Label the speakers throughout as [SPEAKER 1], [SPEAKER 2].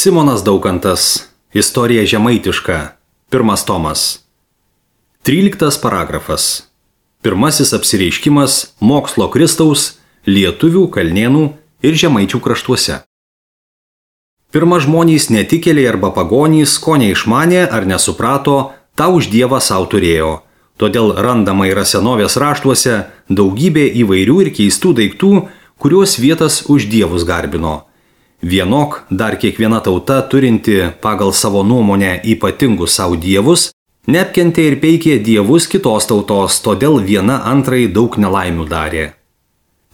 [SPEAKER 1] Simonas Daukantas. Istorija žemaitiška. 1 tomas. 13 paragrafas. Pirmasis apsireiškimas mokslo Kristaus lietuvių, kalnėnų ir žemaičių kraštuose. Pirma žmonės netikėliai arba pagonys, ko neišmanė ar nesuprato, tą už Dievą savo turėjo. Todėl randama yra senovės raštuose daugybė įvairių ir keistų daiktų, kuriuos vietas už dievus garbino. Vienok dar kiekviena tauta turinti pagal savo nuomonę ypatingus savo dievus, neapkentė ir peikė dievus kitos tautos, todėl viena antrai daug nelaimių darė.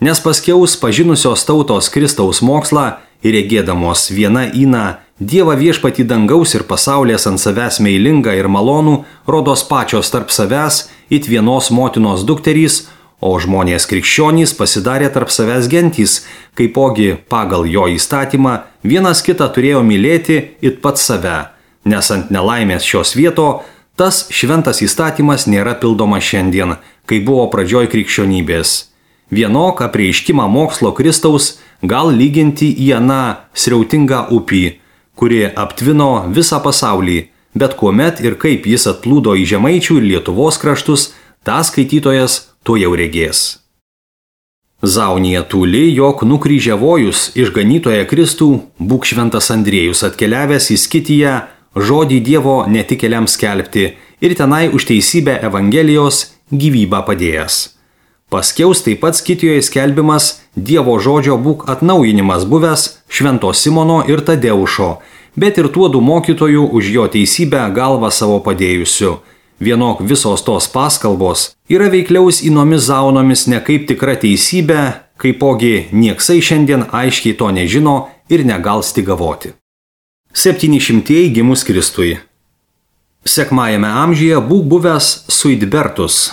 [SPEAKER 1] Nes paskiaus pažinusios tautos Kristaus mokslą ir regėdamos viena įna Dievą viešpatį dangaus ir pasaulės ant savęs meilingą ir malonų, rodos pačios tarp savęs it vienos motinos dukterys, o žmonės krikščionys pasidarė tarp savęs gentys, kaipogi pagal jo įstatymą vienas kitą turėjo mylėti it pats save, nes ant nelaimės šios vieto tas šventas įstatymas nėra pildomas šiandien, kai buvo pradžioj krikščionybės. Vienok apreiškimą mokslo Kristaus gal lyginti į aną srautingą upį, kuri aptvino visą pasaulį, bet kuomet ir kaip jis atplūdo į Žemaičių ir Lietuvos kraštus, tą skaitytojas to jau regės. Zaunija tūli, jog nukryžiavojus išganytoją Kristų, būk šventas Andriejus atkeliavęs į Skitiją, žodį Dievo netikėliams skelbti ir tenai už teisybę Evangelijos gyvybę padėjęs. Paskiaus taip pat Skitijoje skelbimas Dievo žodžio būk atnaujinimas buvęs Švento Simono ir Tadeušo, bet ir tuodų mokytojų už jo teisybę galvą savo padėjusių. Vienok visos tos paskalbos yra veikliaus įnomis zaunomis ne kaip tikra teisybė, kaipogi nieksai šiandien aiškiai to nežino ir negal stigavoti. 700 gimus Kristui. Sekmajame amžiuje būk buvęs Suidbertus,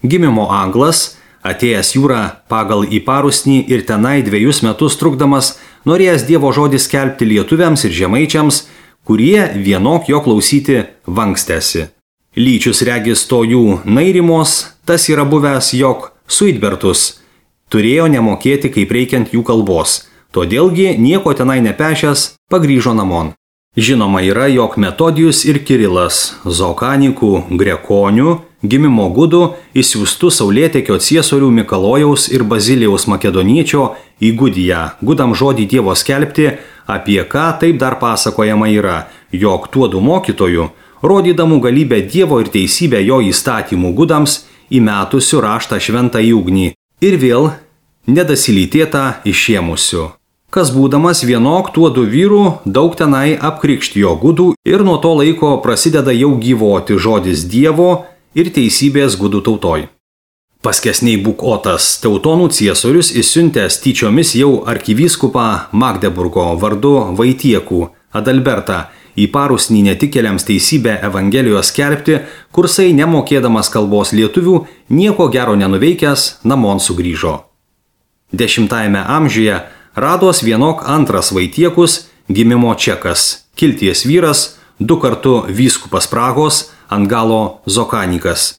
[SPEAKER 1] gimimo anglas, atėjęs jūrą pagal į Parusnį ir tenai 2 metus trukdamas, norėjęs Dievo žodį skelbti lietuviams ir žemaičiams, kurie vienok jo klausyti vankstėsi. Lyčius regis to jų nairimos, tas yra buvęs, jog Suidbertus turėjo nemokėti kaip reikiant jų kalbos, todėlgi nieko tenai nepešęs pagrįžo namon. Žinoma yra, jog Metodijus ir Kirilas, Zokanikų, Grekonių, gimimo gudų, įsiųstų saulėtekio ciesorių Mikalojaus ir Bazilijaus Makedoniečio į Gudiją, gudam žodį Dievo skelbti, apie ką taip dar pasakojama yra, jog tuodų mokytojų, rodydamų galybę Dievo ir teisybę jo įstatymų gudams, įmetusių raštą šventą į ugnį ir vėl nedasilytėtą išėmusių. Kas būdamas vienok tuodų vyrų daug tenai apkrikštijo gudų ir nuo to laiko prasideda jau gyvoti žodis Dievo ir teisybės gudų tautoj. Paskesniai būk Otas, Teutonų ciesorius įsiuntęs tyčiomis jau arkivyskupą Magdeburgo vardu Vaitiekų, Adalbertą, į Parusnį netikėliams teisybę Evangelijos skelbti, kursai nemokėdamas kalbos lietuvių, nieko gero nenuveikęs, namon sugrįžo. 10 amžiuje rados vienok antras Vaitiekus, gimimo čekas, kilties vyras, 2 kartų vyskupas Prahos, ant galo Zokanikas.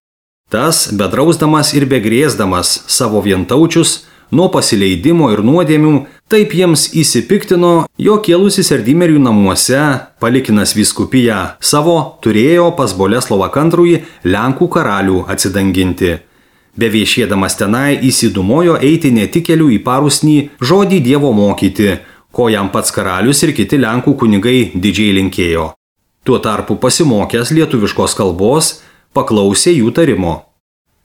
[SPEAKER 1] Tas, bedrausdamas ir begrėsdamas savo vientaučius, nuo pasileidimo ir nuodėmių, taip jiems įsipiktino, jo kėlusis Erdimerių namuose, palikinas vyskupiją savo, turėjo pas Boleslovą Antrųjį Lenkų karalių atsidanginti. Beviešėdamas tenai įsidumojo eiti netikėlių į Parusnį žodį Dievo mokyti, ko jam pats karalius ir kiti Lenkų kunigai didžiai linkėjo. Tuo tarpu pasimokęs lietuviškos kalbos, paklausė jų tarimo.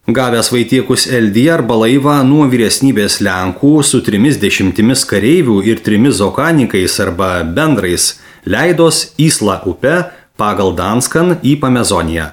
[SPEAKER 1] Gavęs Vaitiekus Eldiją arba laivą nuo vyresnybės Lenkų su 30 kareivių ir 3 zokanikais arba bendrais, leidos Įslą upe pagal Danskan į Pamezoniją,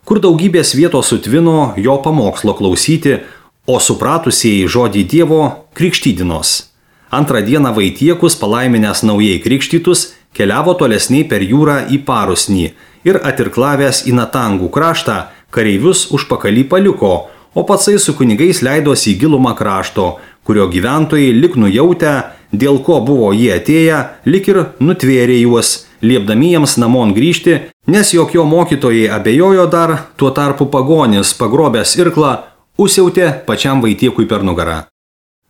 [SPEAKER 1] kur daugybės vietos sutvino jo pamokslo klausyti, o supratusieji žodį Dievo krikštydinos. Antrą dieną Vaitiekus, palaiminęs naujai krikštytus, keliavo tolesniai per jūrą į Parusnį ir atirklavęs į Natangų kraštą, kareivius užpakalį paliko, o patsai su kunigais leidosi į gilumą krašto, kurio gyventojai lik nujautę, dėl ko buvo jie atėję, lik ir nutvėrė juos, liepdami jiems namon grįžti, nes jog jo mokytojai abejojo dar, tuo tarpu pagonis, pagrobęs irklą, užsiautė pačiam Vaitiekui per nugarą.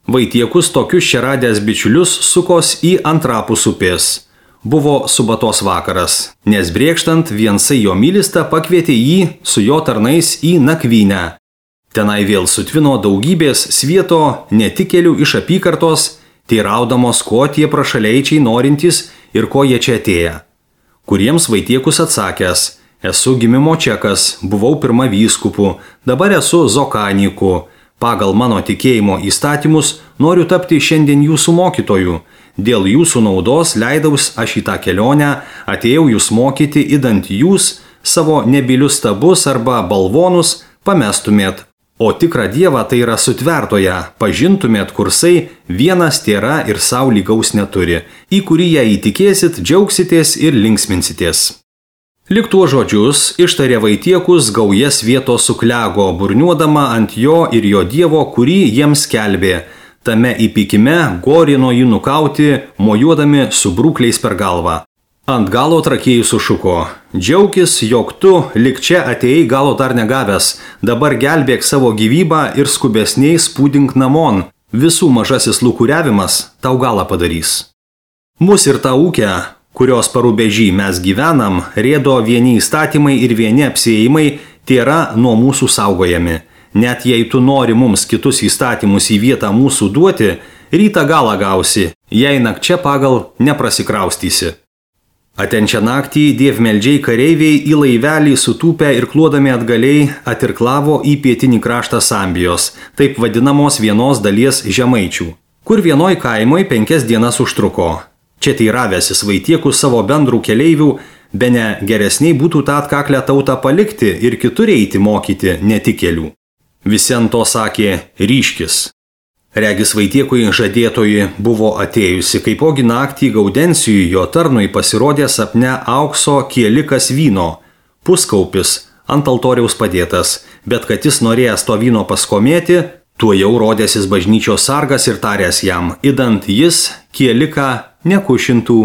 [SPEAKER 1] Vaitiekus tokius čia radęs bičiulius sukos į antrapus upės. Buvo subatos vakaras, nes brėkštant viensai jo mylista pakvietė jį su jo tarnais į nakvynę. Tenai vėl sutvino daugybės svieto netikėlių iš apykartos, teiraudamos, ko tie prašaleičiai norintys ir ko jie čia atėję. Kuriems Vaitiekus atsakęs: esu gimimo čekas, buvau pirma vyskupu, dabar esu zokaniku. Pagal mano tikėjimo įstatymus noriu tapti šiandien jūsų mokytoju. Dėl jūsų naudos leidaus aš į tą kelionę, atėjau jūs mokyti, idant jūs savo nebylius stabus arba balvonus pamestumėt, o tikrą Dievą, tai yra sutvertoje, pažintumėt, kursai vienas tėra ir sau lygaus neturi, į kurį ją įtikėsit, džiaugsitės ir linksminsitės. Lik tuo žodžius ištarė Vaitiekus, gauja svieto suklego, burniuodama ant jo ir jo Dievo, kurį jiems skelbė. Tame įpykime gorino jį nukauti, mojuodami su brūkliais per galvą. Ant galo trakėjus sušuko: džiaukis, jog tu lik čia atėjai galo dar negavęs, dabar gelbėk savo gyvybę ir skubesniai spūdink namon, visų mažasis lūkuriavimas tau galą padarys. Mus ir tą ūkę, kurios parūbežį mes gyvenam, rėdo vieni įstatymai ir vieni apsiėjimai, tėra nuo mūsų saugojami. Net jei tu nori mums kitus įstatymus į vietą mūsų duoti, rytą galą gausi, jei nakčia pagal neprasikraustysi. Atenčią naktį dievmeldžiai kareiviai į laivelį sutūpę ir kluodami atgaliai atirklavo į pietinį kraštą Sambijos, taip vadinamos vienos dalies žemaičių, kur vienoj kaimoj 5 dienas užtruko. Čia teiravęsis Vaitiekus savo bendrų keleivių, bene geresniai būtų tą atkaklę tautą palikti ir kitur eiti mokyti netikėlių. Visi ant to sakė: ryškis. Regis Vaitiekui žadėtoji buvo atėjusi, kaipogi naktį Gaudencijui jo tarnui pasirodė sapne aukso kielikas vyno, puskaupis ant altoriaus padėtas, bet kad jis norėjęs to vyno paskomėti, tuo jau rodėsis bažnyčios sargas ir taręs jam, idant jis kieliką nekušintų,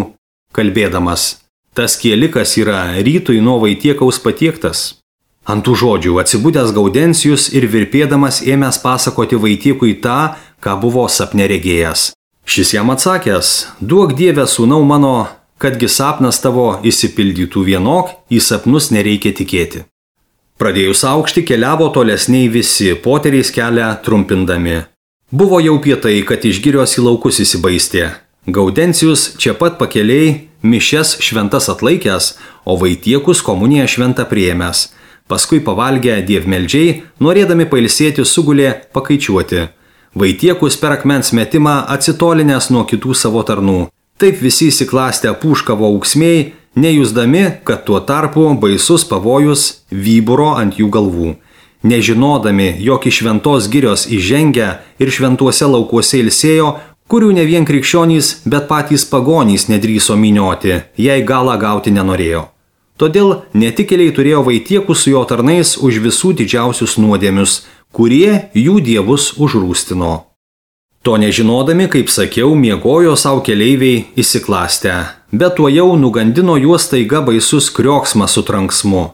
[SPEAKER 1] kalbėdamas: tas kielikas yra rytui nuo Vaitiekaus patiektas. Ant tų žodžių atsibudęs Gaudencijus ir virpėdamas ėmęs pasakoti Vaitiekui tą, ką buvo sapne regėjęs. Šis jam atsakęs: duok Dieve, sūnau mano, kadgi sapnas tavo išsipildytų vienok, į sapnus nereikia tikėti. Pradėjus aukšti keliavo tolesniai visi, poteriais kelią trumpindami. Buvo jau pietai, kad iš girios į laukus įsibaistė. Gaudencijus čia pat pakeliai mišias šventas atlaikęs, o Vaitiekus komuniją šventą priėmęs. Paskui pavalgę dievmeldžiai, norėdami pailsėti, sugulė pakaičiuoti. Vaitiekus per akmens metimą atsitolinęs nuo kitų savo tarnų. Taip visi įsiklastę pūškavo auksmėjai, nejusdami, kad tuo tarpu baisus pavojus vyburo ant jų galvų. Nežinodami, jog iš šventos girios įžengę ir šventuose laukuose ilsėjo, kurių ne vien krikščionys, bet patys pagonys nedrįso minioti, jei galą gauti nenorėjo. Todėl netikėliai turėjo Vaitiekus su jo tarnais už visų didžiausius nuodėmius, kurie jų dievus užrūstino. To nežinodami, kaip sakiau, miegojo savo keleiviai įsiklastę, bet tuo jau nugandino juos staiga baisus krioksmas su tranksmu.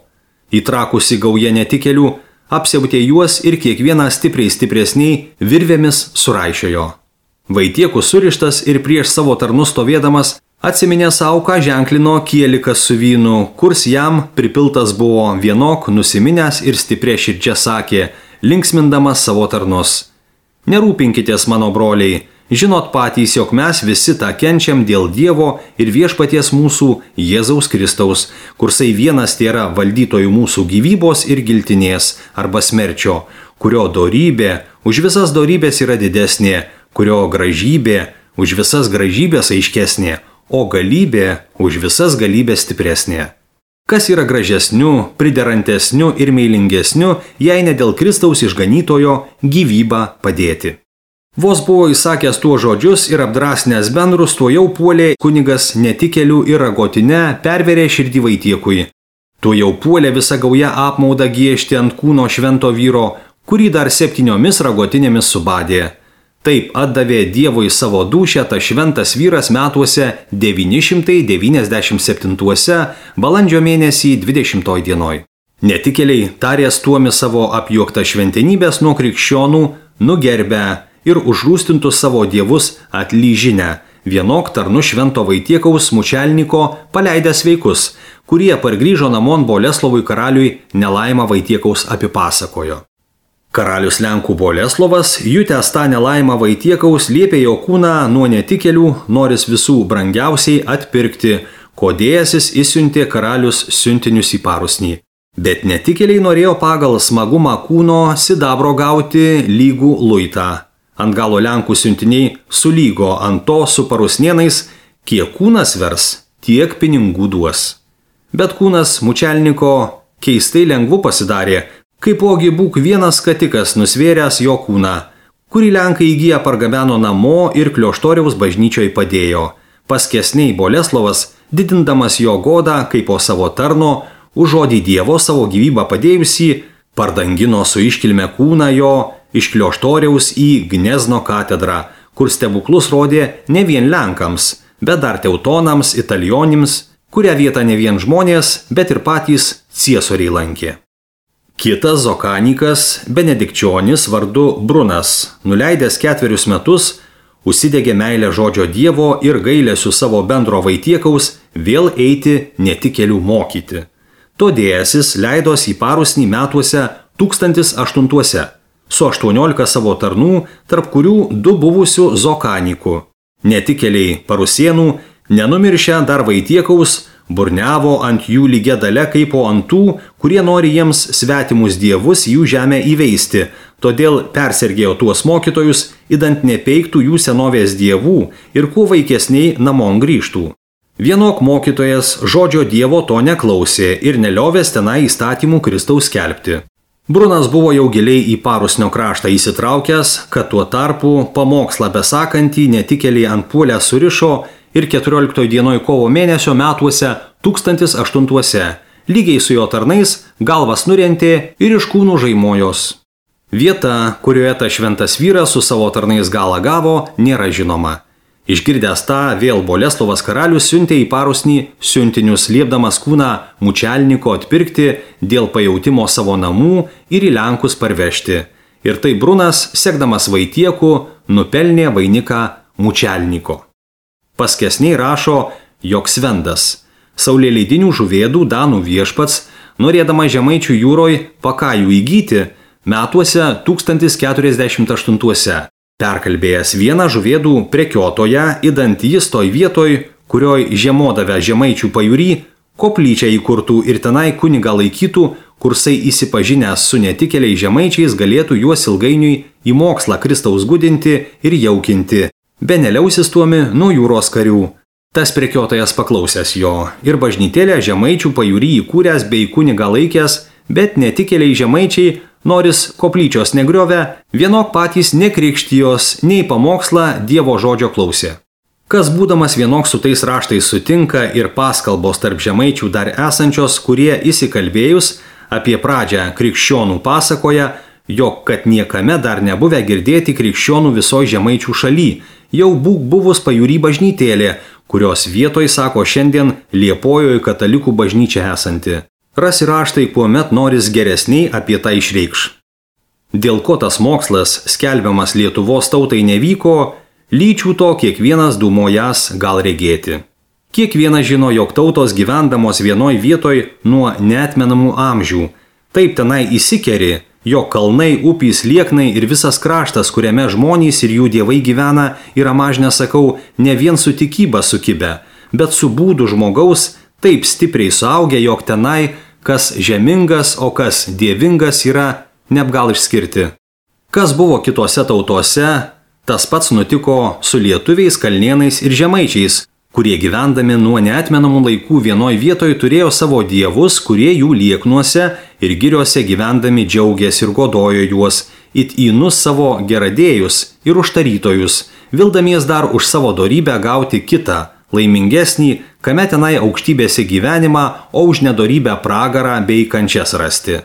[SPEAKER 1] Įtrakusi gauja netikėlių, apsiautė juos ir kiekvieną stipresniai virvėmis suraišiojo. Vaitiekus surištas ir prieš savo tarnus stovėdamas, atsiminė savo, ką ženklino kielikas su vynu, kurs jam pripiltas buvo, vienok nusiminęs ir stiprė širdžia sakė, linksmindamas savo tarnus: nerūpinkitės, mano broliai, žinot patys, jog mes visi tą kenčiam dėl Dievo ir viešpaties mūsų Jėzaus Kristaus, kursai vienas tėra valdytojų mūsų gyvybos ir giltinės arba smerčio, kurio dorybė už visas dorybės yra didesnė, kurio gražybė už visas gražybės aiškesnė, o galybė už visas galybės stipresnė. Kas yra gražesniu, priderantesniu ir meilingesniu, jei ne dėl Kristaus išganytojo gyvybą padėti. Vos buvo įsakęs tuo žodžius ir apdrasnęs bendrus, tuo jau puolė kunigas netikėlių ir ragotinę, perverė širdį Vaitiekui. Tuo jau puolė visa gauja apmaudą giežti ant kūno švento vyro, kurį dar 7 ragotinėmis subadė. Taip atdavė Dievui savo dūšią tas šventas vyras metuose 997 balandžio mėnesį 20 dienoj. Netikėliai tarės tuomi savo apjuoktą šventenybės nuo krikščionų, nugerbę ir užrūstintus savo dievus atlyžinę, vienok tarnu švento Vaitiekaus mučelniko paleidęs vaikus, kurie pargrįžo namon Boleslovui karaliui nelaimą Vaitiekaus apipasakojo. Karalius Lenkų Boleslovas, jutęs tą nelaimą Vaitiekaus, liepė jo kūną nuo netikėlių, noris visų brangiausiai atpirkti, kodėjasis įsiuntė karalius siuntinius į Parusnį. Bet netikėliai norėjo pagal smagumą kūno sidabro gauti lygų luitą. Ant galo Lenkų siuntiniai sulygo ant to su parusnienais, kiek kūnas vers, tiek pinigų duos. Bet kūnas mučelniko keistai lengvu pasidarė, kaipogi būk vienas skatikas nusvėręs jo kūną, kurį Lenkai įgyję pargabeno namo ir Klioštoriaus bažnyčioj padėjo. Paskesniai Boleslovas, didindamas jo godą kaip po savo tarno, už žodį Dievo savo gyvybą padėjusį, pardangino su iškilme kūną jo iš Klioštoriaus į Gnezno katedrą, kur stebuklus rodė ne vien Lenkams, bet dar teutonams, italionims, kurią vietą ne vien žmonės, bet ir patys ciesoriai lankė. Kitas zokanikas, benedikčionis vardu Brunas, nuleidęs 4 metus, užsidegė meilę žodžio Dievo ir gailesiu savo bendro Vaitiekaus vėl eiti netikėlių mokyti. Todėjasis leidos į Parusnį metuose 1008 su 18 savo tarnų, tarp kurių 2 buvusių zokanikų. Netikėliai parusienų, nenumiršę dar Vaitiekaus, burniavo ant jų lygia dalia kaip po ant tų, kurie nori jiems svetimus dievus jų žemę įveisti, todėl persergėjo tuos mokytojus, idant nepeiktų jų senovės dievų ir kuo vaikesniai namon grįžtų. Vienok mokytojas žodžio Dievo to neklausė ir neliovės tenai įstatymų Kristaus skelbti. Brunas buvo jau giliai į Parusnio kraštą įsitraukęs, kad tuo tarpu pamokslą besakantį netikėliai ant puolę surišo ir 14 dienoj kovo mėnesio metuose 1008 lygiai su jo tarnais galvas nurentė ir iš kūnų žaimojos. Vieta, kurioje ta šventas vyras su savo tarnais galą gavo, nėra žinoma. Išgirdęs tą, vėl Boleslovas karalius siuntė į Parusnį siuntinius, liepdamas kūną mučelniko atpirkti dėl pajautimo savo namų ir į Lenkus parvežti. Ir tai Brunas, sekdamas Vaitieku, nupelnė vainiką mučelniko. Paskesniai rašo, jog Svendas, saulėleidinių žuvėdų danų viešpats, norėdama Žemaičių jūroj pakajų įgyti, metuose 1048 perkalbėjęs vieną žuvėdų prekiotoją, idant jis toj vietoj, kurioj žiemodavę Žemaičių pajūry, koplyčią įkurtų ir tenai kunigą laikytų, kursai įsipažinęs su netikėliai žemaičiais galėtų juos ilgainiui į mokslą Kristaus gudinti ir jaukinti, be neliausis tuomi nuo jūros karių. Tas prekiotojas paklausęs jo ir bažnytėlę Žemaičių pajūry įkūręs bei kunigą laikęs, bet netikėliai žemaičiai, noris koplyčios negriovę, vienok patys nekrikštijos, nei pamokslą Dievo žodžio klausė. Kas būdamas vienok su tais raštais sutinka ir paskalbos tarp žemaičių dar esančios, kurie įsikalbėjus apie pradžią krikščionų pasakoja, jog kad niekame dar nebuvę girdėti krikščionų visoj žemaičių šaly, jau būk buvus pajūry bažnytėlė, kurios vietoj sako šiandien Liepojoj katalikų bažnyčia esanti. Rasi raštai, kuomet noris geresniai apie tai išreikš. Dėl ko tas mokslas, skelbiamas Lietuvos tautai nevyko, lyčių to kiekvienas dūmojas gal regėti. Kiekvienas žino, jog tautos gyvendamos vienoj vietoj nuo neatmenamų amžių. Taip tenai įsikeri, jog kalnai, upys, lieknai ir visas kraštas, kuriame žmonės ir jų dievai gyvena, yra mažne sakau, ne vien su tikyba sukibę, bet su būdu žmogaus, taip stipriai suaugę, jog tenai, kas žemingas, o kas dievingas yra neapgal išskirti. Kas buvo kitose tautose, tas pats nutiko su lietuviais, kalnėnais ir žemaičiais, kurie gyvendami nuo neatmenamų laikų vienoj vietoj turėjo savo dievus, kurie jų lieknuose ir giriuose gyvendami džiaugės ir godojo juos, it įnus savo geradėjus ir užtarytojus, vildamies dar už savo dorybę gauti kitą, laimingesnį, kame tenai aukštybėse gyvenimą, o už nedorybę pragarą bei kančias rasti.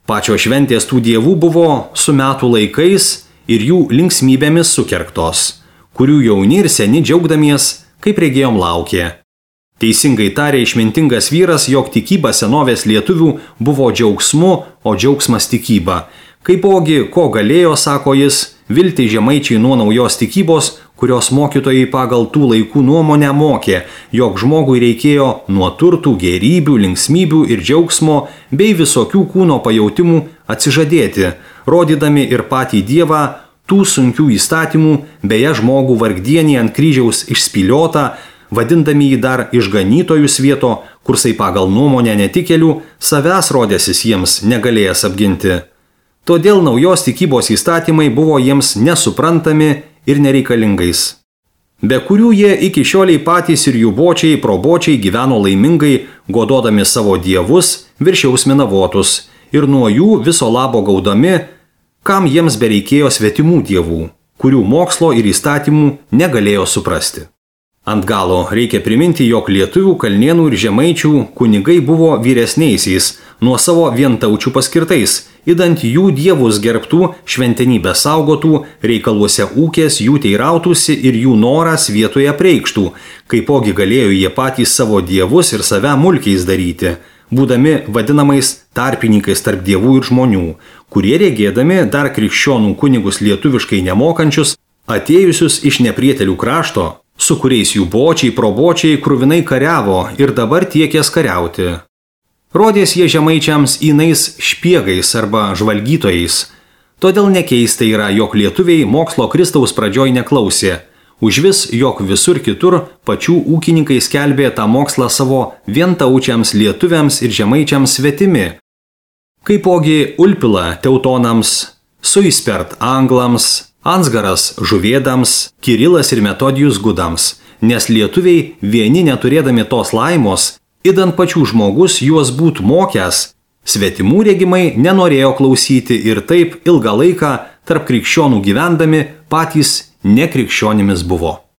[SPEAKER 1] Pačios šventės tų dievų buvo su metų laikais ir jų linksmybėmis sukerktos, kurių jauni ir seni džiaugdamies, kaip regėjom laukė. Teisingai tarė išmintingas vyras, jog tikyba senovės lietuvių buvo džiaugsmu, o džiaugsmas tikyba. Kaipogi, ko galėjo, sako jis, vilti žemaičiai nuo naujos tikybos, kurios mokytojai pagal tų laikų nuomonę mokė, jog žmogui reikėjo nuo turtų, gėrybių, linksmybių ir džiaugsmo bei visokių kūno pajautimų atsižadėti, rodydami ir patį Dievą tų sunkių įstatymų, beje žmogų vargdienį ant kryžiaus išspyliotą, vadindami jį dar išganytojų svieto, kursai pagal nuomonę netikėlių, savęs rodėsis jiems negalėjęs apginti. Todėl naujos tikybos įstatymai buvo jiems nesuprantami ir nereikalingais, be kurių jie iki šioliai patys ir jų bočiai, probočiai gyveno laimingai, gododami savo dievus, viršiaus minavotus ir nuo jų viso labo gaudami, kam jiems bereikėjo svetimų dievų, kurių mokslo ir įstatymų negalėjo suprasti. Ant galo reikia priminti, jog lietuvių, kalnėnų ir žemaičių kunigai buvo vyresniaisiais, nuo savo vientaučių paskirtais, idant jų dievus gerbtų, šventenybę saugotų, reikaluose ūkės jų teirautųsi ir jų noras vietoje preikštų, kaipogi galėjo jie patys savo dievus ir save mulkiais daryti, būdami vadinamais tarpininkais tarp dievų ir žmonių, kurie regėdami dar krikščionų kunigus lietuviškai nemokančius, atėjusius iš neprietelių krašto, su kuriais jų bočiai, probočiai kruvinai kariavo ir dabar tiekės kariauti. Rodės jie žemaičiams įnais špiegais arba žvalgytojais. Todėl nekeista yra, jog lietuviai mokslo Kristaus pradžioj neklausė. Užvis, jog visur kitur pačių ūkininkai skelbė tą mokslą savo vientaučiams lietuviams ir žemaičiams svetimi. Kaipogi Ulpila teutonams, Suispert anglams, Ansgaras žuvėdams, Kirilas ir Metodijus gudams, nes lietuviai vieni neturėdami tos laimos, idant pačių žmogus juos būtų mokęs, svetimų regimai nenorėjo klausyti ir taip ilgą laiką tarp krikščionų gyvendami patys nekrikščionimis buvo.